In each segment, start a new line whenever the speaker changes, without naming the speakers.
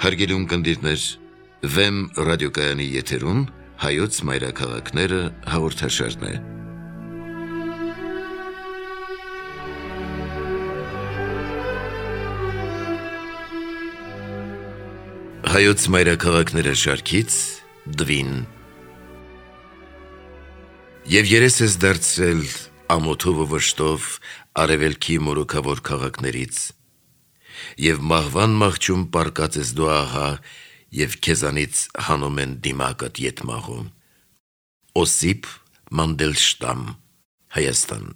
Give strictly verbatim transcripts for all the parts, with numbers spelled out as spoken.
Հարգելի ունկնդիրներ, Վեմ ռադիոկայանի եթերում հայոց մայրաքաղաքները հաղորդաշարն է։ Հայոց մայրաքաղաքները շարքից դվին։ Եվ երես ես դարձրել ամոթով ու վշտով արևելքի մորուքավոր քաղաքներից, և մահվան մահճում պարկած ես դու ահա, և քեզանից հանում են դիմակդ ետմաղում։ Օսիպ Մանդելշտամ, Հայաստան։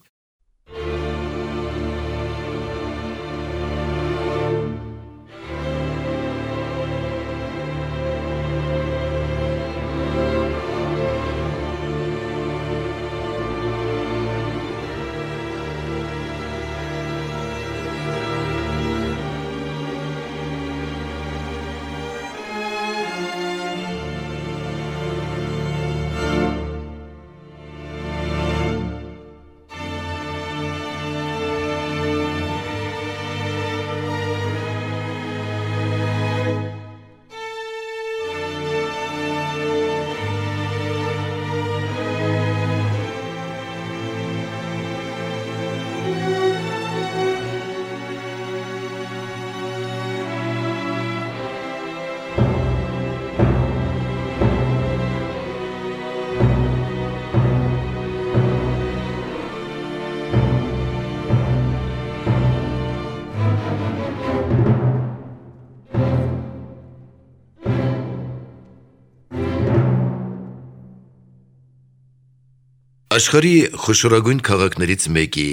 Աշխարհի խոշորագույն քաղաքներից մեկի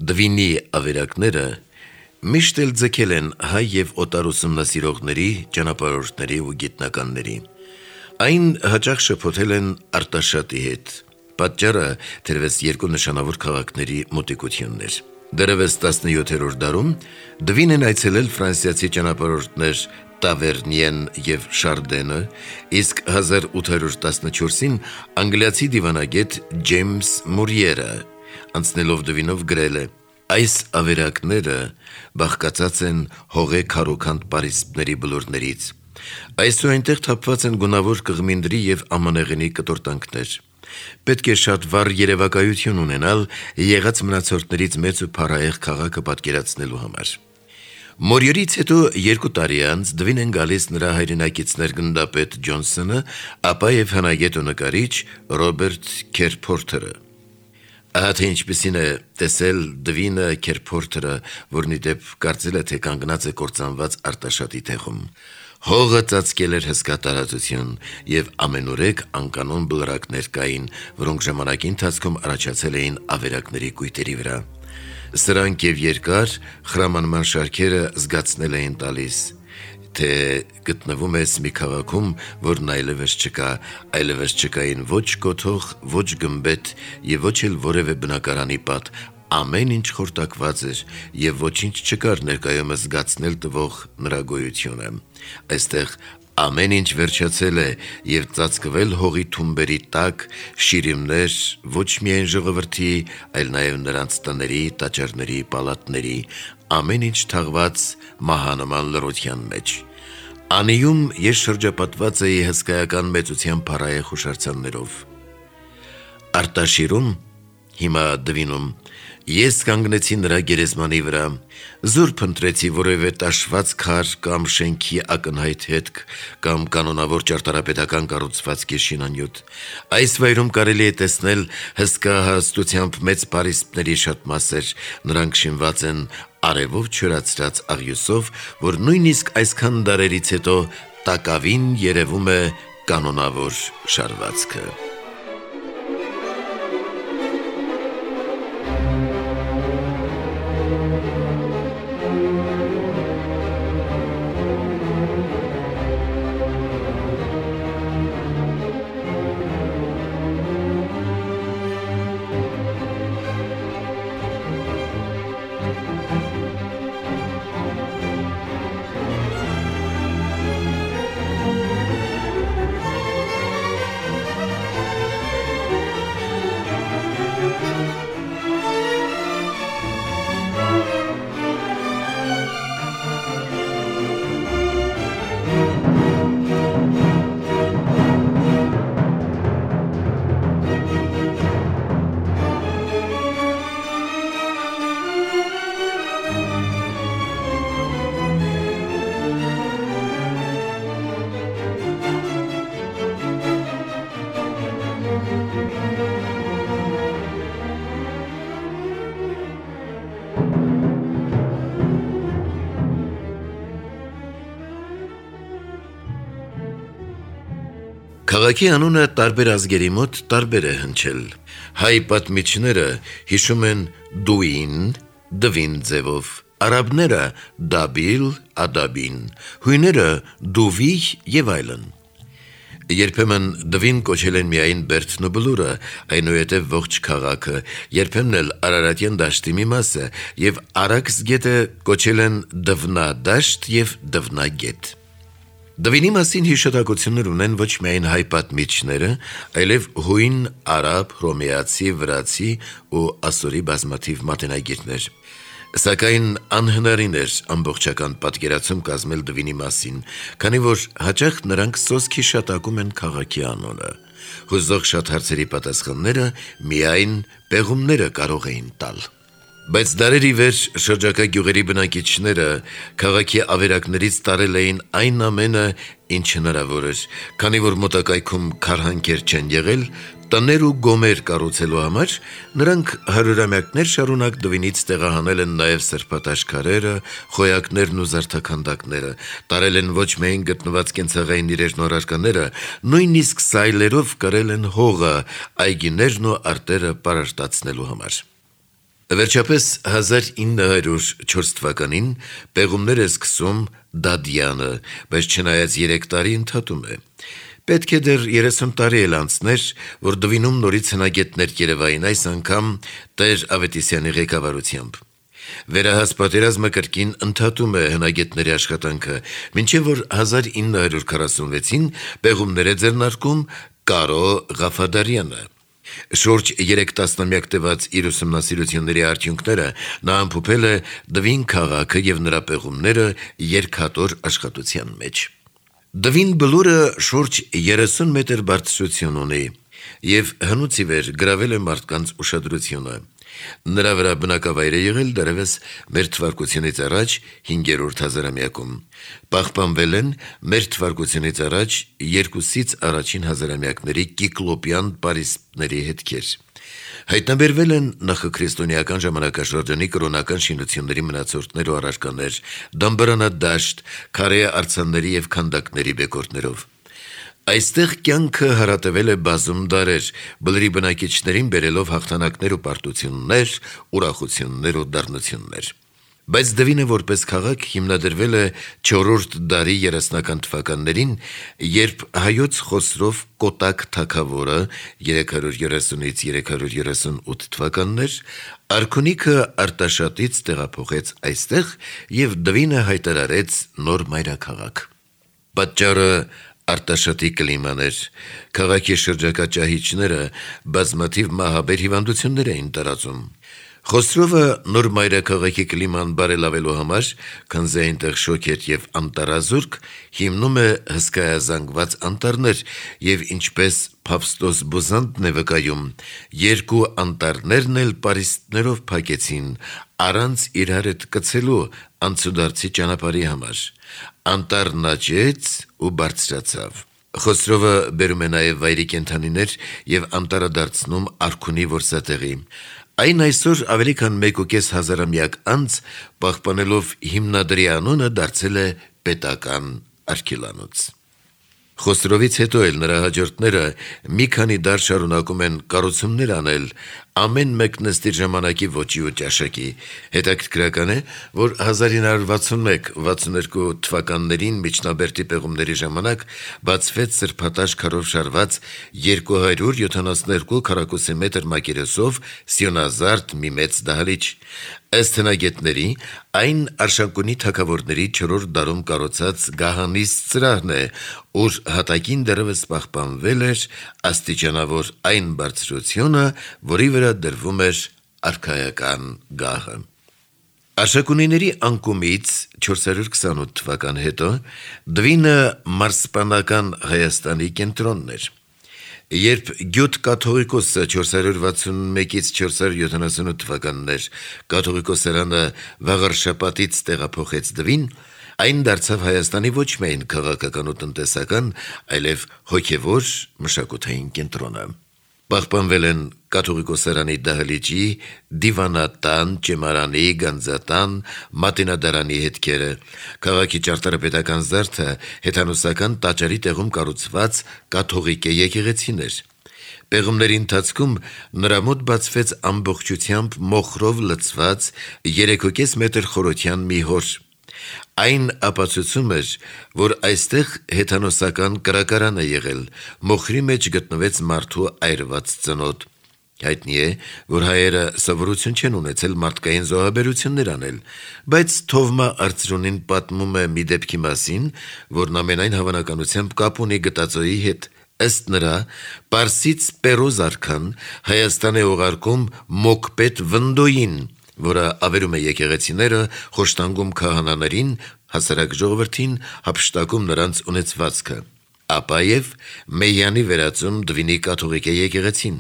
Դվինի ավերակները միշտ էլ ձգել են հայ և օտար ուսումնասիրողների, ճանապարհորդների ու գիտնականների։ Այն հաճախ շփոթել են Արտաշատի հետ։ Պատճառը թերևս երկու նշանավոր քաղաքների մոտիկությունն էր։ Դեռևս տասնյոթերորդ դարում Դվին են այցելել ֆրանսիացի ճանապարհորդներ Տավերնիեն և Շարդենը, իսկ հազար ութ հարյուր տասնչորսին անգլիացի դիվանագետ Ջեյմս Մուրիերը անցնելով Դվինով գրել է. «Այս ավերակները բաղկացած են հողե քարոքանդ պարիսպների բլուրներից։ Այսու այնտեղ թափված են գունավոր կղմինդրի և ամանեղենի կտորտանքներ։ Պետք է շատ վառ երևակայություն ունենալ եղած մնացորդներից մեծ ու փառահեղ քաղաքը պատկերացնելու համար»։ Մորիերից հետո երկու տարի անց Դվին են գալիս նրա հայրենակիցներ գնդապետ Ջոնսոնը, ապա և հնագետ ու նկարիչ Ռոբերտ Քերփորթերը։ Ահա թե ինչպիսին է տեսել Դվինը Քերփորթերը, որն ի դեպ կարծել է, թե կանգնած է կործանված Արտաշատի տեղում։ Հողը ծածկել էր հսկա տարածություն, և ամենուրեք անկանոն բլրակներ կային, որոնք ժամանակի ընթացքում առաջացել էին ավերակների կույտերի վրա։ Սրանք և երկար խրամանման շարքերը զգացնել էին տալիս, թե գտնվում ես մի քաղաքում, որն այլևս չկա, այլևս չկային ոչ կոթող, ոչ գմբեթ և ոչ էլ որևէ բնակարանի պատ, ամեն ինչ խորտակված էր և ոչինչ չկար ներկայումս զգացնել տվող նրա գոյությունը։ Այստեղ ամեն ինչ վերջացել է և ծածկվել հողի թումբերի տակ, շիրիմներ ոչ միայն ժողովրդի, այլ նաև նրանց տների, տաճարների, պալատների, ամեն ինչ թաղված մահանման լռության մեջ։ Անիում ես շրջապատված էի հսկայական մեծության փառահեղ հուշարձաններով։ Արտաշիրում, հիմա Դվինում, ես կանգնեցի նրա գերեզմանի վրա, զուր փնտրեցի որևէ տաշված քար կամ շենքի ակնհայտ հետք կամ կանոնավոր ճարտարապետական կառուցվածքի շինանյութ։ Այս վայրում կարելի է տեսնել հսկա հարստությամբ մեծ պարիսպների շատ մասեր, նրանք շինված են արևով չորացրած աղյուսով, որ նույնիսկ այսքան դարերից հետո տակավին երևում է կանոնավոր շարվածքը։ Քաղաքի անունը տարբեր ազգերի մոտ տարբեր է հնչել։ Հայ պատմիչները հիշում են Դուին, Դվին ձևով, արաբները Դաբիլ, Ադաբին, հույները Դուվիհ եւ այլն։ Երբեմն Դվին կոչել են միայն Բերդն ու Բլուրը, այնուհետև ողջ քաղաքը, երբեմն էլ Արարատյան դաշտի մի մասը եւ Արաքս գետը կոչել են Դվնադաշտ եւ Դվնագետ։ Դվինի մասին հիշատակություններ ունեն ոչ միայն հայ պատմիչները, այլև հույն, արաբ, հռոմեացի, վրացի ու ասորի բազմաթիվ մատենագետներ։ Սակայն անհնարին էր ամբողջական պատկերացում կազմել Դվինի մասին, քանի որ հաճախ նրանք սոսկ հիշատակում են քաղաքի անունը։ Հուզող շատ հարցերի պատասխանները միայն պեղումները կարող էին տալ։ Բայց դարերի վեր շրջակա գյուղերի բնակիչները քաղաքի ավերակներից տարել էին այն ամենը, ինչ հնարավոր էր, քանի որ մոտակայքում քարհանքեր չեն եղել, տներ ու գոմեր կառուցելու համար նրանք հարյուրամյակներ շարունակ Դվինից տեղահանել են նաև սրբատաշ քարերը, խոյակներն ու զարդաքանդակները, տարել են ոչ միայն գտնված կենցաղային իրերն ու առարկաները, նույնիսկ սայլերով կրել են հողը, այգիներն ու արտերը պարարտացնելու համար։ Վերջապես հազար ինը հարյուր չորս թվականին պեղումներ է սկսում Դադյանը, բայց չնայած երեք տարի ընդհատում է։ Պետք է դեռ երեսուն տարի էլ անցներ, որ Դվինում նորից հնագետներ երևային, այս անգամ Տեր Ավետիսյանի ղեկավարությամբ։ Վերահաս պատերազմը կրկին ընդհատում է հնագետների աշխատանքը, մինչև որ հազար ինը հարյուր քառասունվեցին պեղումներ է ձեռնարկում Կարո Ղաֆադարյանը։ Շուրջ երեք տասնամյակ տևած իր ուսումնասիրությունների արդյունքները նա ամփոփել է Դվին քաղաքը եւ նրա պեղումները երկհատոր աշխատության մեջ։ Դվին բլուրը շուրջ երեսուն մետր բարձրություն ունի եւ հնուց ի վեր գրավել է մարդկանց ուշադրությունը։ Նրա վրա բնակավայր է եղել դեռևս մեր թվարկությունից առաջ հինգերորդ հազարամյակում։ Պահպանվել են մեր թվարկությունից առաջ երկուսից առաջին հազարամյակների կիկլոպյան պարիսպների հետքեր։ Հայտնաբերվել են նախաքրիստոնեական ժամանակաշրջանի կրոնական շինությունների մնացորդներ ու առարկաներ, դամբարանադաշտ, քարե արձանների եւ քանդակների բեկորներով։ Այստեղ կյանքը հարատևել է բազում դարեր, բլրի բնակիչներին բերելով հաղթանակներ ու պարտություններ, ուրախություններ ու դառնություններ։ Բայց Դվինը որպես քաղաք հիմնադրվել է չորրորդ դարի երեսնական թվականներին, երբ հայոց Խոսրով Կոտակ թագավորը երեք հարյուր երեսունից երեք հարյուր երեսունութ թվականներ արքունիքը Արտաշատից տեղափոխեց այստեղ եւ Դվինը հայտարարեց նոր մայրաքաղաք։ Պատճառը Արտաշատի կլիման էր, քաղաքի շրջակա ճահիճները բազմաթիվ մահաբեր հիվանդություններ էին տարածում։ Խոսրովը նոր մայրաքաղաքի կլիման բարելավելու համար, քանզի այնտեղ շոգ էր եւ անտառազուրկ, հիմնում է հսկայազանգված անտառներ եւ ինչպես Փավստոս Բուզանդն է վկայում, երկու անտառներն էլ պարիսպներով փակեցին, առանց իրար հետ կցելու անցուդարձի ճանապարհի համար։ Անտառն աճեց ու բարձրացավ։ Խոսրովը բերում է նաև վայրի կենդանիներ եւ անտառը դարձնում արքունի որսատեղի։ Այն այսօր ավելի քան մեկ ու կես հազարամյակ անց պահպանելով հիմնադրի անունը դարձել է պետական արգելանոց։ Խոսրովից հետո էլ նրա հաջորդները մի քանի դար շարունակում են կառուցումներ անել, ամեն մեկն ըստ իր ժամանակի ոճի ու ճաշակի։ Հետաքրքրական է, որ հազար ինը հարյուր վաթսունմեկ վաթսունհինգ թվականներին միջնաբերդի պեղումների ժամանակ բացվեց սրբատաշ քարով շարված երկու հարյուր յոթանասունհինգ քառակուսի մետր մակերեսով սյունազարդ մի մեծ դահլիճ։ Ըստ հնագետների, այն Արշակունի թագավորների չորրորդ դարում կառուցած գահանիստ սրահն է, ուր հատակին դեռևս պահպանվել էր աստիճանավոր այն բարձրությունը, որի վրա դրվում էր արքայական գահը։ Արշակունիների անկումից չորս հարյուր քսանութ թվական հետո Դվինը մարսպանական Հայաստանի կենտրոնն էր։ Երբ Գյուտ կաթողիկոսը չորս հարյուր վաթսունմեկից չորս հարյուր յոթանասունութ թվականներ կաթողիկոսարանը Վաղարշապատից տեղափոխեց Դվին, այն դարձավ Հայաստանի ոչ միայն քաղաքական ու տնտեսական, այլև հոգևոր մշակութային կենտրոնը։ Պահպանվել են կաթողիկոսարանի դահլիճի, դիվանատան, ճեմարանի, գանձատան, մատենադարանի հետքերը, քաղաքի ճարտարապետական զարդը հեթանոսական տաճարի տեղում կառուցված կաթողիկե եկեղեցիներ։ Պեղումների ընթացքում նրա մոտ բացվեց ամբողջությամբ մոխրով լցված երեքուկես մետր խորության մի հոր։ Այն ապացուցում էր, որ այստեղ հեթանոսական կրակարան է եղել, մոխրի մեջ գտնվեց մարդու այրված ծնոտ։ Հայտնի է, որ հայերը սովորություն չեն ունեցել մարդկային զոհաբերություններ անել, բայց Թովմա Արծրունին պատմում է մի դեպքի մասին, որն ամենայն հավանականությամբ կապ ունի գտածոյի հետ։ Ըստ նրա, Պարսից Պերոզ արքան Հայաստան է ուղարկում մոկպետ Վնդոյին, որը ավերում է եկեղեցիները, խոշտանգում քահանաներին, հասարակ ժողովրդին, հափշտակում նրանց ունեցվածքը, ապա եւ Մեյանի վերածում Դվինի կաթողիկե եկեղեցին։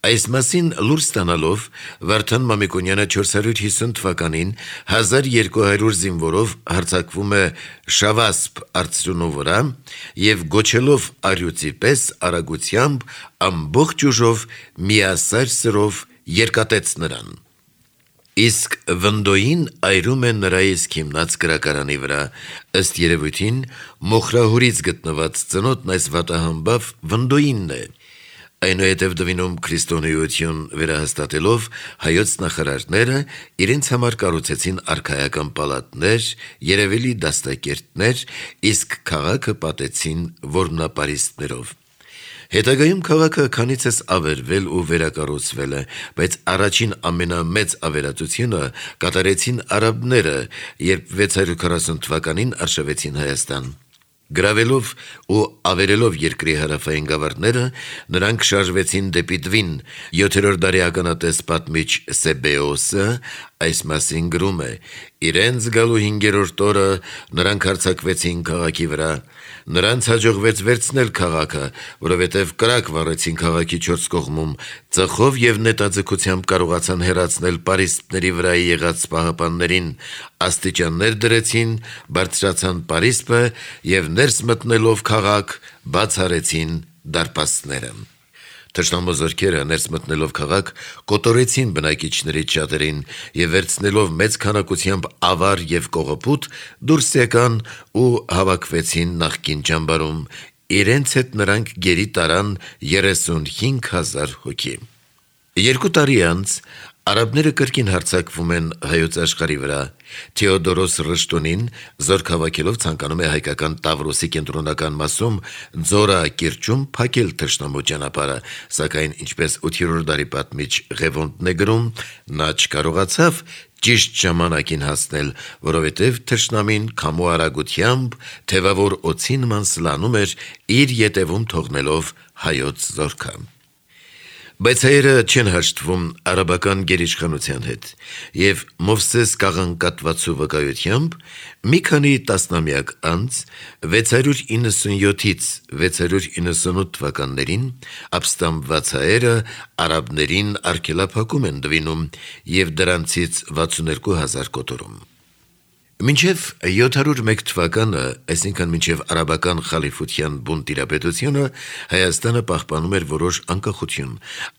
Այս մասին լուր ստանալով Վարդան Մամիկոնյանը չորս հարյուր հիսուն թվականին հազար երկու հարյուր զինվորով հարձակվում է Շավասպ Արծրունու վրա եւ գոչելով արյուծի պես արագությամբ ամբողջ ուժով միասար սրով երկատեց նրան։ Իսկ Վնդոյին այրում է նրա իսկ հիմնած կրակարանի վրա, ըստ երևույթին մոխրահորից գտնված ծնոտն այս վատահամբավ Վնդոյինն է։ Այնուհետև Դվինում քրիստոնեություն վերահաստատելով հայոց նախարարները իրենց համար կառուցեցին արքայական պալատներ, երևելի դաստակերտներ, իսկ քաղաքը պատեցին որմնապարիսպներով։ Հետագայում քաղաքը քանիցս ավերվել ու վերակառուցվել է, բայց առաջին ամենամեծ ավերածությունը կատարեցին արաբները, երբ վեց հարյուր քառասուն թվականին արշավեցին Հայաստան։ Գրավելով ու ավերելով երկրի հարավային գավառները, նրանք շարժվեցին դեպի Դվին։ Յոթերորդ դարի ականատես պատմիչ Սեբեոսը այս մասին գրում է. իրենց գալու հինգերորդ օրը նրանք հարձակվեցին քաղաքի վրա։ Նրանց հաջողվեց վերցնել քաղաքը, որովհետև կրակ վառեցին քաղաքի չորս կողմում, ծխով եւ նետաձգությամբ կարողացան հեռացնել պարիսպների վրա եղած պահապաններին, աստիճաններ դրեցին, բարձրացան պարիսպը եւ ներս մտնելով քաղաք բացառեցին դարպասները։ Թշնամու զորքերը ներս մտնելով քաղաք կոտորեցին բնակիչներից շատերին եւ վերցնելով մեծ քանակությամբ ավար եւ կողոպուտ դուրս եկան ու հավաքվեցին նախկին ճամբարում։ Իրենց հետ նրանք գերի տարան երեսունհինգ հազար հոգի։ Երկու տարի անց արաբները կրկին հարձակվում են հայոց աշխարհի վրա։ Թեոդորոս Ռշտոնին զորք հավաքելով ցանկանում է հայկական Տավրոսի կենտրոնական մասում Ձորա կիրճում փակել թշնամու ճանապարհը, սակայն ինչպես ութերորդ դարի պատմիչ Ղևոնդն է գրում, նա չկարողացավ ճիշտ ժամանակին հասնել, որովհետև թշնամին քամու արագությամբ թևավոր օձի նման սլանում էր իր ետևում թողնելով հայոց զորքը։ Բայց հայերը չեն հաշտվում արաբական գերիշխանության հետ, եւ Մովսես կաղանկատվածու վկայությամբ մի քանի տասնամյակ անց վեց հարյուր իննսունյոթից վեց հարյուր իննսունութ թվականներին ապստամբված հայերը արաբներին արգելափակում են Դվինում եւ դրանցից վաթսունհինգ հազար կոտորում։ Մինչև յոթ հարյուր մեկ թվականը, այսինքն մինչև արաբական խալիֆության բուն տիրապետությունը, Հայաստանը պահպանում էր որոշ անկախություն։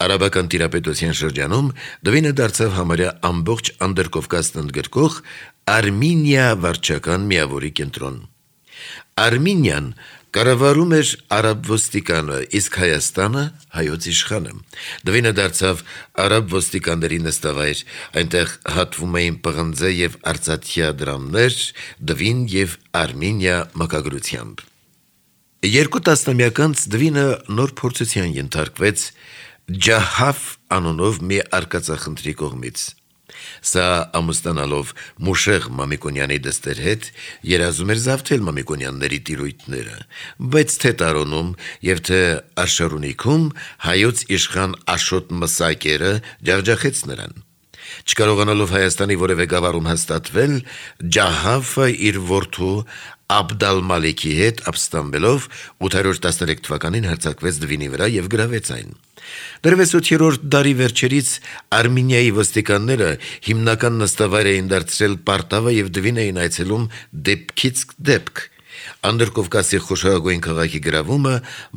Արաբական տիրապետության շրջանում Դվինը դարձավ համարյա ամբողջ Անդրկովկասն ընդգրկող Արմինիա վարչական միավորի կենտրոն։ Արմինիան կառավարում էր արաբ ոստիկանը, իսկ Հայաստանը հայոց իշխանը։ Դվինը դարձավ արաբ ոստիկանների նստավայր, այնտեղ հատվում էին պղնձե եւ արծաթյա դրամներ, Դվին եւ Արմինիա մակագրությամբ։ Երկու տասնամյակ անց Դվինը նոր փորձության ենթարկվեց Ջահաֆ անունով մի արկածախնդրի կողմից։ Սա ամուսնանալով Մուշեղ Մամիկոնյանի դստեր հետ երազում էր զավթել Մամիկոնյանների տիրույթները, բայց թե Տարոնում եւ թե Արշարունիքում հայոց իշխան Աշոտ Մսակերը ջախջախեց նրան։ Չկարողանալով Հայաստանի որևէ գավառում հաստատվել, Ջահաֆը իր որդու Աբդալ-Մալիքի հետ ապստամբելով ութ հարյուր տասներեք թվականին հարձակվեց Դվինի վրա եւ գրավեց այն։ Դեռևս ութերորդ դարի վերջերից Արմինիայի ոստիկանները հիմնական նստավայր էին դարձրել Պարտավը եւ Դվին էին այցելում դեպքից դեպք։ Անդրկովկասի խոշորագույն քաղաքի գրավումը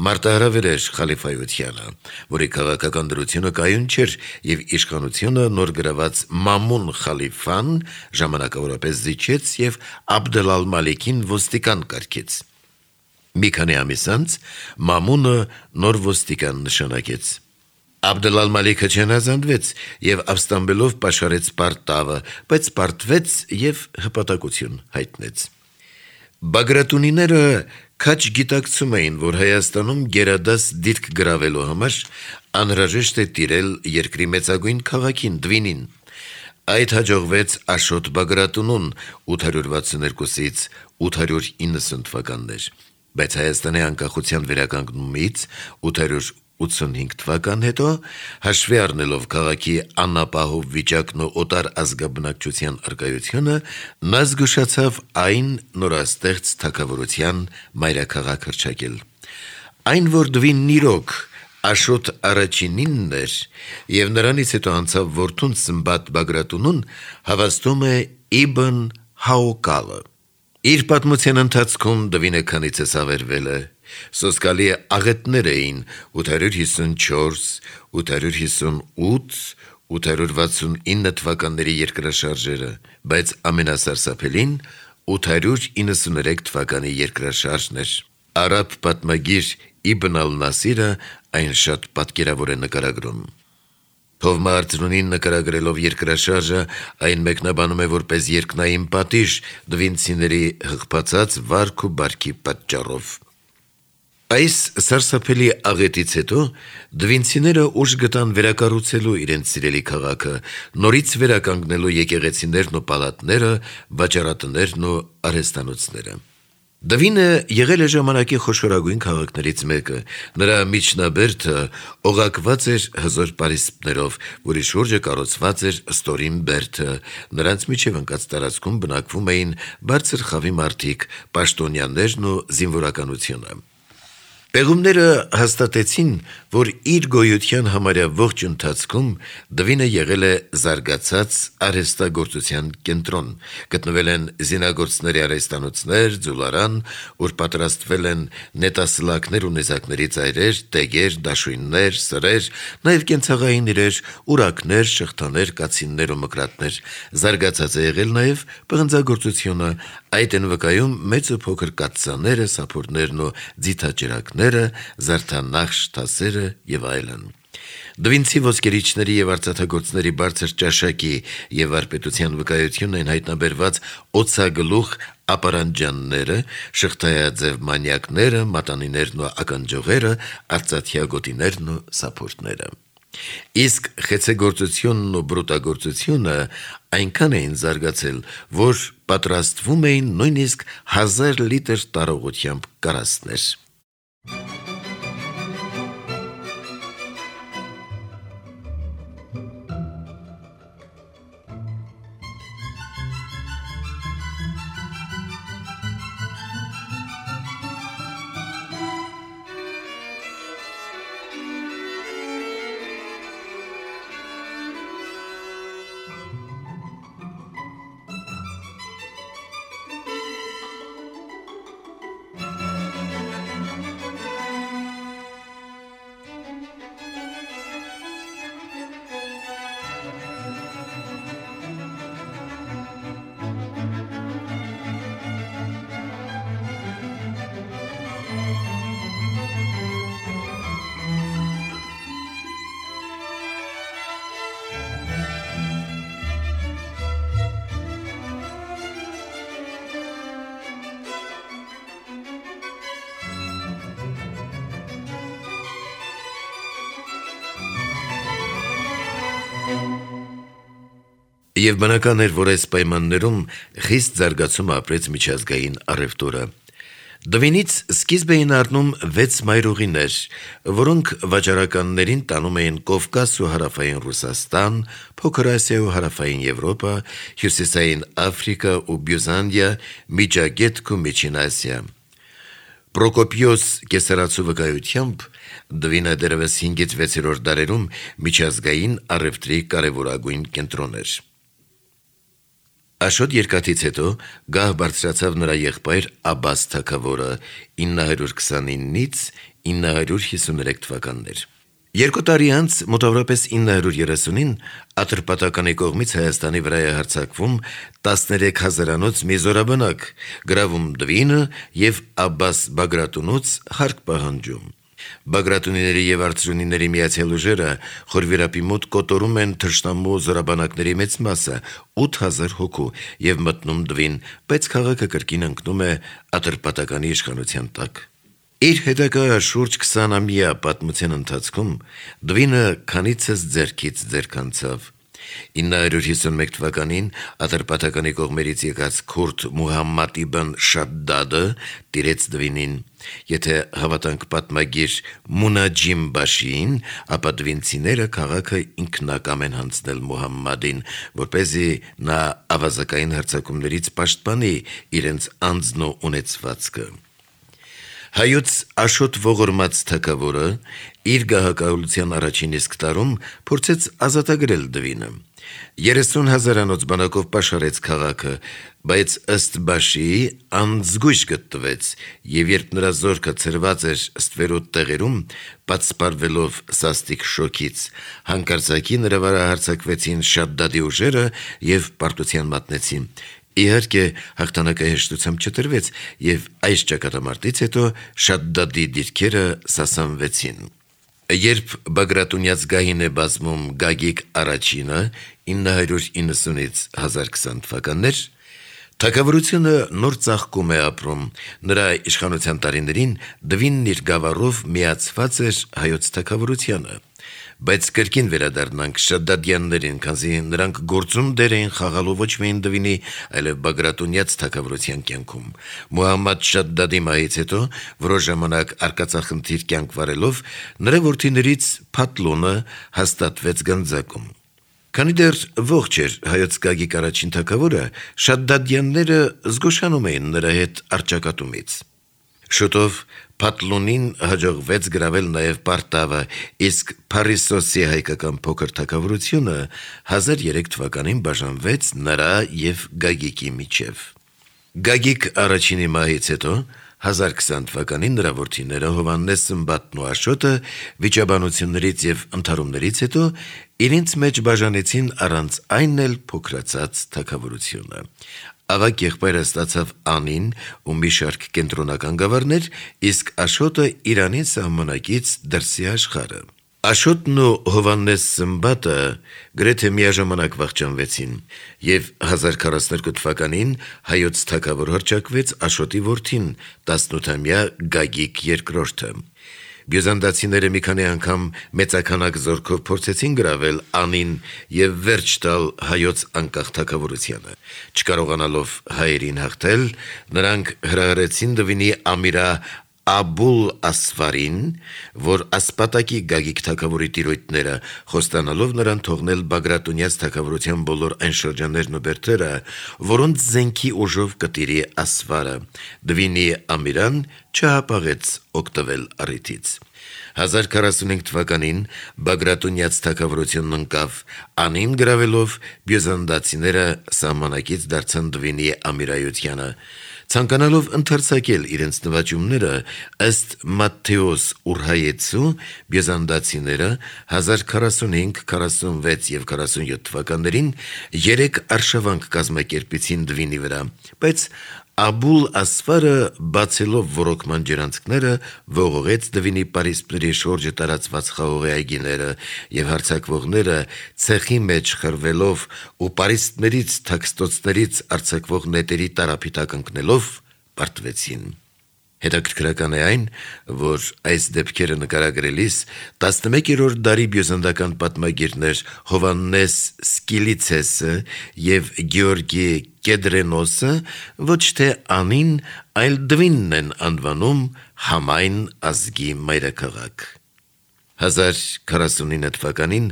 մարտահրավեր էր խալիֆայությանը, որի քաղաքական դրությունը կայուն չէր եւ իշխանությունը նոր գրաված Մամուն խալիֆան ժամանակավորապես զիջեց եւ Աբդել ալ-Մալիքին ոստիկան կարգեց։ Մի քանի ամիս անց Մամունը նոր ոստիկան նշանակեց։ Աբդել ալ-Մալիքը չհնազանդվեց եւ ապստամբելով պաշարեց Պարտավը, բայց պարտվեց եւ հպատակություն հայտնեց։ Բագրատունիները քաչ գիտակցում էին, որ Հայաստանում գերադաս դիրք գրավելու համար անհրաժեշտ է տիրել երկրի մեծագույն քաղաքին Դվինին։ Այդ հաջողվեց Աշոտ Բագրատունուն ութ հարյուր վաթսուներկուսից ութ հարյուր իննսուն թվականներ, բայց Հայաստանի անկախության վերականգնումից ութ հարյուր ութսունհինգ թվական հետո, հաշվի առնելով քաղաքի անապահով վիճակն ու օտար ազգաբնակչության առկայությունը, նա զգուշացավ այն նորաստեղծ թագավորության մայրաքաղաք հռչակել։ Այն, որ Դվինն իրոք Աշոտ առաջինինն էր եւ նրանից հետո անցավ որդուն Սմբատ Բագրատունուն, հավաստում է Իբն Հաուկալը։ Իր պատմության ընթացքում Դվինը քանիցս ավերվել է։ Սոսկալի աղետներ էին ութ հարյուր հիսունչորս, ութ հարյուր հիսունութ, ութ հարյուր վաթսունինը թվականների երկրաշարժերը, բայց ամենասարսափելին ութ հարյուր իննսուներեք թվականի երկրաշարժն էր։ Արաբ պատմագիր Իբն ալ-Նասիրը այն շատ պատկերավոր է նկարագրում։ Թովմահարցրունին նկարագրելով երկրաշարժը, այն մեկնաբանում է որպես երկնային պատիժ դվինցիների հղբացած վարք ու բարքի պատճառով։ Այս սարսափելի աղետից հետո դվինցիները ուժ գտան վերակառուցելու իրենց սիրելի քաղաքը, նորից վերականգնելու եկեղեցիներն ու պալատները, վաճառատներն ու արհեստանոցները։ Դվինը եղել է ժամանակի խոշորագույն քաղաքներից մեկը։ Նրա միջնաբերդը օղակված էր հզոր պարիսպներով, որի շուրջը կառուցված էր ստորին բերդը։ Նրանց միջև ընկած տարածքում բնակվում էին բարձր խավի մարդիկ, պաշտոնյաներն ու զինվորականությունը։ Պեղումները հաստատեցին, որ իր գոյության համարյա ողջ ընթացքում Դվինը եղել է զարգացած արհեստագործության կենտրոն։ Գտնվել են զինագործների արհեստանոցներ, ձուլարան, ուր պատրաստվել են նետասլակներ ու նեզակների ծայրեր, տեգեր, դաշույններ, սրեր, նաև կենցաղային իրեր, ուրակներ, շղթաներ, կացիններ ու մկրատներ։ Զարգացած է եղել նաև պղնձագործությունը, այդ են վկայում մեծ ու փոքր կաթսաները, սափորներն ու ձիթաճրակները, զարդանախշ թասերը եւ այլն։ Դվինցի ոսկերիչների եւ արծաթագործների բարձր ճաշակի եւ վարպետության վկայությունն են հայտնաբերված օձագլուխ ապարանջանները, շղթայաձև մանյակները, մատանիներն ու ականջողերը, արծաթյա գոտիներն ու սափորները։ Իսկ խեցեգործությունն ու բրուտագործությունը այնքան էին զարգացել, որ պատրաստվում էին նույնիսկ հազար լիտր տարողությամբ կարասներ։ Եվ բնական էր, որ այս պայմաններում խիստ զարգացում ապրեց միջազգային առևտուրը։ Դվինից սկիզբ էին առնում վեց մայրուղիներ, որոնք վաճառականներին տանում էին Կովկաս ու հարավային Ռուսաստան, Փոքր Ասիա ու հարավային Եվրոպա, հյուսիսային Աֆրիկա ու Բյուզանդիա, Միջագետք ու Միջին Ասիա։ Պրոկոպիոս կեսարացու վկայությամբ Դվինը դեռևս հինգից վեցերորդ դարերում միջազգային առևտրի կարևորագույն կենտրոն էր։ Աշոտ երկաթից հետո գահ բարձրացավ նրա եղբայր Աբաս թագավորը ինը հարյուր քսանինից ինը հարյուր հիսուներեք թվականներ։ Երկու տարի անց մոտավորապես ինը հարյուր երեսունին Ատրպատականի կողմից Հայաստանի վրա է հարձակվում տասներեք հազարանոց մի զորաբնակ, գրավում Դվինը եւ Աբաս Բագրատունուց հարկ պահանջում։ Բագրատունիների եւ արծրունիների միացյալ ուժերը Խորվիրապի մոտ կոտորում են թշնամու զորաբանակների մեծ մասը՝ ութ հազար հոգու եւ մտնում Դվին, բայց քաղաքը կրկին ընկնում է Ատրպատականի իշխանության տակ։ Իր հետագա շուրջ քսանամյա պատմության ընթացքում Դվինը քանիցս ձեռքից ձեռք անցավ։ ինը հարյուր հիսունմեկ թվականին Ատրպատականի կողմերից եկած քուրդ Մուհամմադ իբն Շադդադը տիրեց Դվինին։ Եթե հավատանք պատմագիր Մունաջիմ Բաշիին, ապա դվինցիները քաղաքը ինքնակամ են հանձնել Մուհամմադին, որպեսզի նա ավազակային հարձակումներից պաշտպանի իրենց անձն ու ունեցվածքը։ Հայոց Աշոտ ողորմած թագավորը իր գահակահոլության առաջին իսկ տարում փորձեց ազատագրել Դվինը։ երեսուն հազարանոց բանակով պաշարեց քաղաքը, բայց ըստ Բաշիի անզգույշ գտնվեց, եւ երբ նրա զորքը ցրված էր ստվերոտ տեղերում, պատսպարվելով սաստիկ շոքից, հանկարծակի նրա վրա հարձակվեցին Շադդադի ուժերը եւ պարտության մատնեցին։ Իհարկե հաղթանակը հեշտությամբ չտրվեց եւ այս ճակատամարտից հետո Շադդադի դիրքերը սասանվեցին։ Երբ Բագրատունյաց գահին է բազմում Գագիկ առաջինը ինը հարյուր իննսունից հազար քսան թվականներ, թագավորությունը նոր ծաղկում է ապրում։ Նրա իշխանության տարիներին Դվինն իր գավառով միացված էր հայոց թագավորությանը։ Բայց կրկին վերադառնանք Շադդադյաններին, քանզի նրանք գործում դեր էին խաղալու ոչ միայն Դվինի, այլև Բագրատունյաց թագավորության կյանքում։ Մուհամմադ Շադդադի մահից հետո որոշ ժամանակ արկածախնդիր կյանք վարելով նրա որդիներից Փաթլունը հաստատվեց գանձակում։ Քանի դեռ ողջ էր հայոց Գագիկ առաջին թագավորը, Շադդադյանները զգուշանում էին նրա հետ առճակատումից։ Շուտով Փաթլունին հաջողվեց գրավել նաև Պարտավը, իսկ Փարիսոսի հայկական փոքր թագավորությունը հազար երեք թվականին բաժանվեց նրա եւ Գագիկի միջև։ Գագիկ առաջինի մահից հետո հազար քսան թվականին նրա որդիները Հովհաննես Սմբատն ու Աշոտը վիճաբանություններից եւ ընդհարումներից հետո իրենց մեջ բաժանեցին առանց այն էլ փոքրացած թագավորությունը։ Ավագ եղբայրը ստացավ Անին ու մի շարք կենտրոնական գավառներ, իսկ Աշոտը Իրանի սահմանակից դրսի աշխարհը։ Աշոտն ու Հովհաննես Սմբատը գրեթե միաժամանակ վախճանվեցին, եւ հազար քառասունյոթ թվականին հայոց թագավոր հռչակվեց Աշոտի որդին, տասնութամյա Գագիկ երկրորդը։ Բյուզանդացիները մի քանի անգամ մեծականակ զորքով փորձեցին գրավել Անին եւ վերջ տալ հայոց անկախ թագավորությանը։ Չկարողանալով հայերին հաղթել, նրանք հրահրեցին Դվինի ամիրա Աբուլ Ասվարին, որ ասպատակի Գագիկ թագավորի տիրոյթները, խոստանալով նրան թողնել Բագրատունյաց թագավորության բոլոր այն շրջաններն ու բերդերը, որոնց զենքի ուժով կտիրի Ասվարը։ Դվինի ամիրան չհապաղեց օգտվել առիթից։ հազար քառասունհինգ թվականին Բագրատունյաց թագավորությունն ընկավ, Անին գրավելով բյուզանդացիները սահմանակից դարձան Դվինի ամիրայությանը։ Ցանկանալով ընդարձակել իրենց նվաճումները, ըստ Մատթեոս Ուրհայեցու, բյուզանդացիները հազար քառասունհինգ, քառասունվեց եւ քառասունյոթ թվականներին երեք արշավանք կազմակերպեցին Դվինի վրա, բայց Աբուլ Ասվարը բացելով ոռոգման ջրանցքները ողողեց Դվինի պարիսպների շորջը տարածված խաղողի այգիները եւ հարձակվողները ցեխի մեջ խրվելով ու պարիսպներից թաքստոցներից արձակվող նետերի տարափիտակ ընկնելով պարտվեցին։ Հետաքրքրական է այն, որ այս դեպքերը նկարագրելիս տասնմեկերորդ դարի բյուզանդական պատմագիրներ Հովհաննես Սկիլիցեսը եւ Գեորգի Կեդրենոսը ոչ թե Անին, այլ Դվինն են անվանում համայն ազգի մայրաքաղաք։ հազար քառասունինը թվականին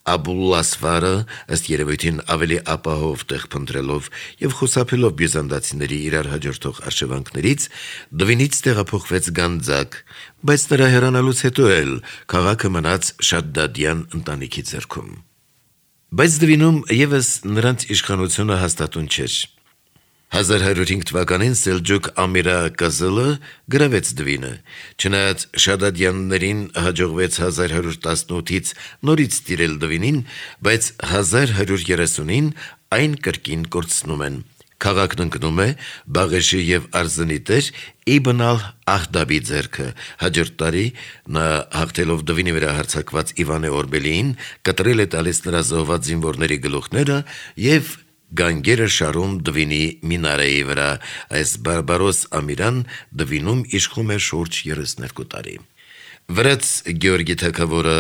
Աբուլ Ասվարը ըստ երևույթին ավելի ապահով տեղ փնտրելով եւ խուսափելով բյուզանդացիների իրար հաջորդող արշավանքներից Դվինից տեղափոխվեց Գանձակ, բայց նրա հեռանալուց հետո էլ քաղաքը մնաց Շադդադյան ընտանիքի ձեռքում։ Բայց Դվինում եւս նրանց իշխանությունը հաստատուն չէր։ հազար հարյուր հինգ թվականին Սելջուկ Ամիրա Կազելը գրավեց Դվինը, չնայած Շադադյաններին հաջողվեց հազար հարյուր տասնութից նորից տիրել Դվինին, բայց հազար հարյուր երեսունին այն կրկին կորցնում են։ Քաղաքն ընկնում է Բաղեշի եւ Արզնի տեր Իբն ալ-Ահդաբի ձեռքը։ Հաջորդ տարի նա հաղթելով Դվինի վրա հարձակված Իվանե Օրբելիին կտրել է տալիս նրա զոհված զինվորների գլուխները եւ գանգերը շարում Դվինի մինարեի վրա։ Այս բարբարոս Ամիրան Դվինում իշխում է շուրջ երեսներկու տարի։ Վրաց Գեորգի թագավորը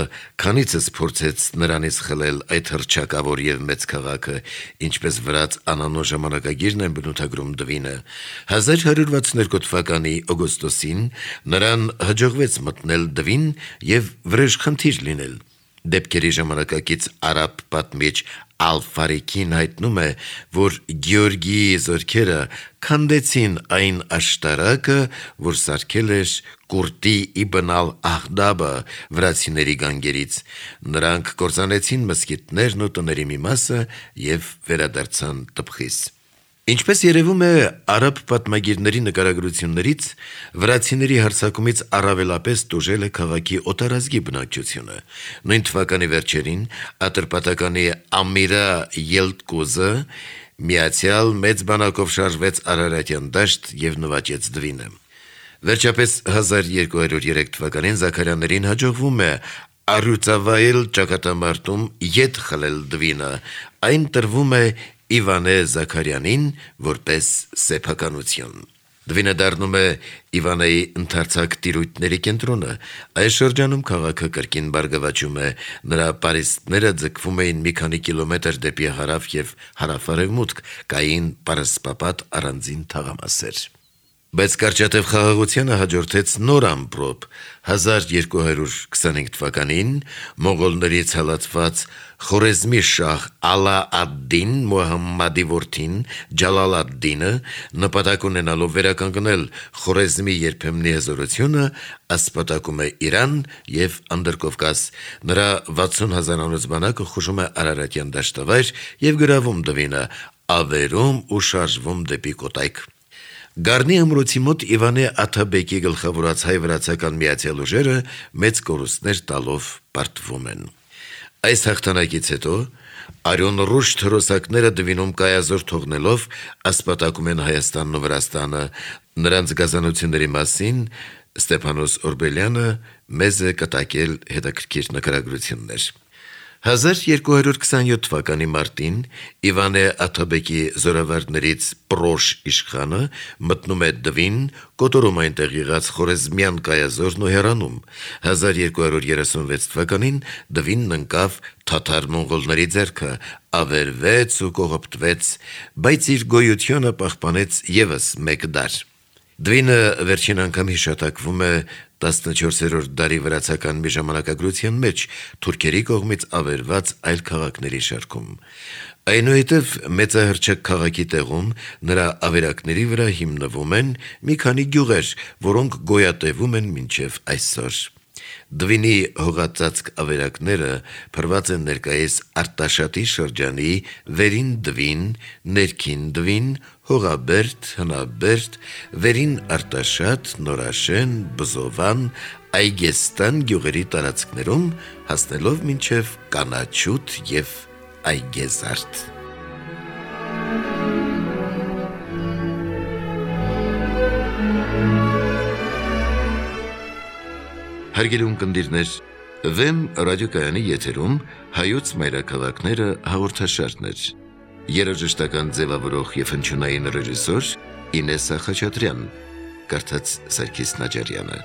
քանիցս փորձեց նրանից խլել այդ հռչակավոր եւ մեծ քաղաքը, ինչպես վրաց անանո ժամանակագիրն են բնութագրում Դվինը։ հազար հարյուր վաթսուններկու թվականի օգոստոսին նրան հաջողվեց մտնել Դվին եւ վրեժխնդիր լինել։ Դեպքերի ժամանակակից արաբ պատմիչ Ալ-Ֆարիքին հայտնում է, որ Գեորգիի զորքերը քանդեցին այն աշտարակը, որ սարքել էր Կուրտի Իբն ալ-Ահդաբը վրացիների գանգերից։ Նրանք կործանեցին մզկիթներն ու տների մի մասը եւ վերադարձան Տբխիս։ Ինչպես երևում է արաբ պատմագիրների նկարագրություններից, վրացիների հարձակումից առավելապես տուժել է քաղաքի օտարազգի բնակչությունը։ Նույն թվականի վերջերին Ատրպատականի Ամիրա Ելտկուզը միացյալ մեծ բանակով շարժվեց Արարատյան դաշտ եւ նվաճեց Դվինը։ Վերջապես հազար երկու հարյուր երեք թվականին Զաքարյաններին հաջողվում է Արյուծավայել ճակատամարտում ետ խլել Դվինը։ Այն տրվում է Իվանե Զաքարյանին որպես սեփականություն։ Դվինը դառնում է Իվանեի ընդարձակ տիրույթների կենտրոնը։ Այս շրջանում քաղաքը կրկին բարգավաճում է, նրա պարիսպները ձգվում էին մի քանի կիլոմետր դեպի հարավ եւ հարավ-արևմուտք, կային պարսպապատ առանձին թաղամասեր։ Բայց կարճատև խաղաղությանը հաջորդեց նոր ամպրոպ։ հազար երկու հարյուր քսանհինգ թվականին մոնղոլներից հալածված Խորեզմի շահ Ալա ադ-Դին Մուհամմադի որդին Ջալալ ադ-Դինը նպատակ ունենալով վերականգնել Խորեզմի երբեմնի հզորությունը, ասպատակում է Իրան եւ Անդրկովկաս։ Նրա վաթսուն հազարանոց բանակը խուժում է Արարատյան դաշտավայր եւ գրավում Դվինը, ավերում ու շարժվում դեպի Կոտայք։ Գառնի ամրոցի մոտ Իվանե Աթաբեկի գլխավորած հայ-վրացական միացյալ ուժերը մեծ կորուստներ տալով պարտվում են։ Այս հաղթանակից հետո Արյուն ռուշ թրոսակները Դվինում կայազոր թողնելով ասպատակում են Հայաստանն ու Վրաստանը։ Նրանց գազանությունների մասին Ստեփանոս Օրբելյանը մեզ է կտակել հետաքրքիր նկարագրություններ։ հազար երկու հարյուր քսանյոթ թվականի մարտին Իվանե Աթաբեկի զորավարներից Պրոշ իշխանը մտնում է Դվին, կոտորում այնտեղ եղած խորեզմյան կայազորն ու հեռանում։ հազար երկու հարյուր երեսունվեց թվականին Դվինն ընկավ թաթար-մոնղոլների ձեռքը, ավերվեց ու կողոպտվեց, բայց իր գոյությունը պահպանեց եւս մեկ դար։ Դվինը վերջին անգամ հիշատակվում է տասնչորսերորդ դարի վրացական մի ժամանակագրության մեջ թուրքերի կողմից ավերված այլ քաղաքների շարքում։ Այնուհետև մեծահրճակ քաղաքի տեղում նրա ավերակների վրա հիմնվում են մի քանի գյուղեր, որոնք գոյատևում են մինչև այսօր։ Դվինի հողածածկ ավերակները փրված են ներկայիս Արտաշատի շրջանի Վերին Դվին, Ներքին Դվին, Հողաբերդ, Հնաբերդ, Վերին Արտաշատ, Նորաշեն, Բզովան, Այգեստան գյուղերի տարածքներում, հասնելով մինչև Կանաչուտ եւ Այգեզարդ։ Հարգելի ունկնդիրներ, Վեմ ռադիոկայանի եթերում հայոց մայրաքաղաքները հաղորդաշարներ։ Երաժշտական ձևավորող եւ հնչյունային ռեժիսոր Ինեսա Խաչատրյան, կարդաց Սարգիս Նաջարյանը։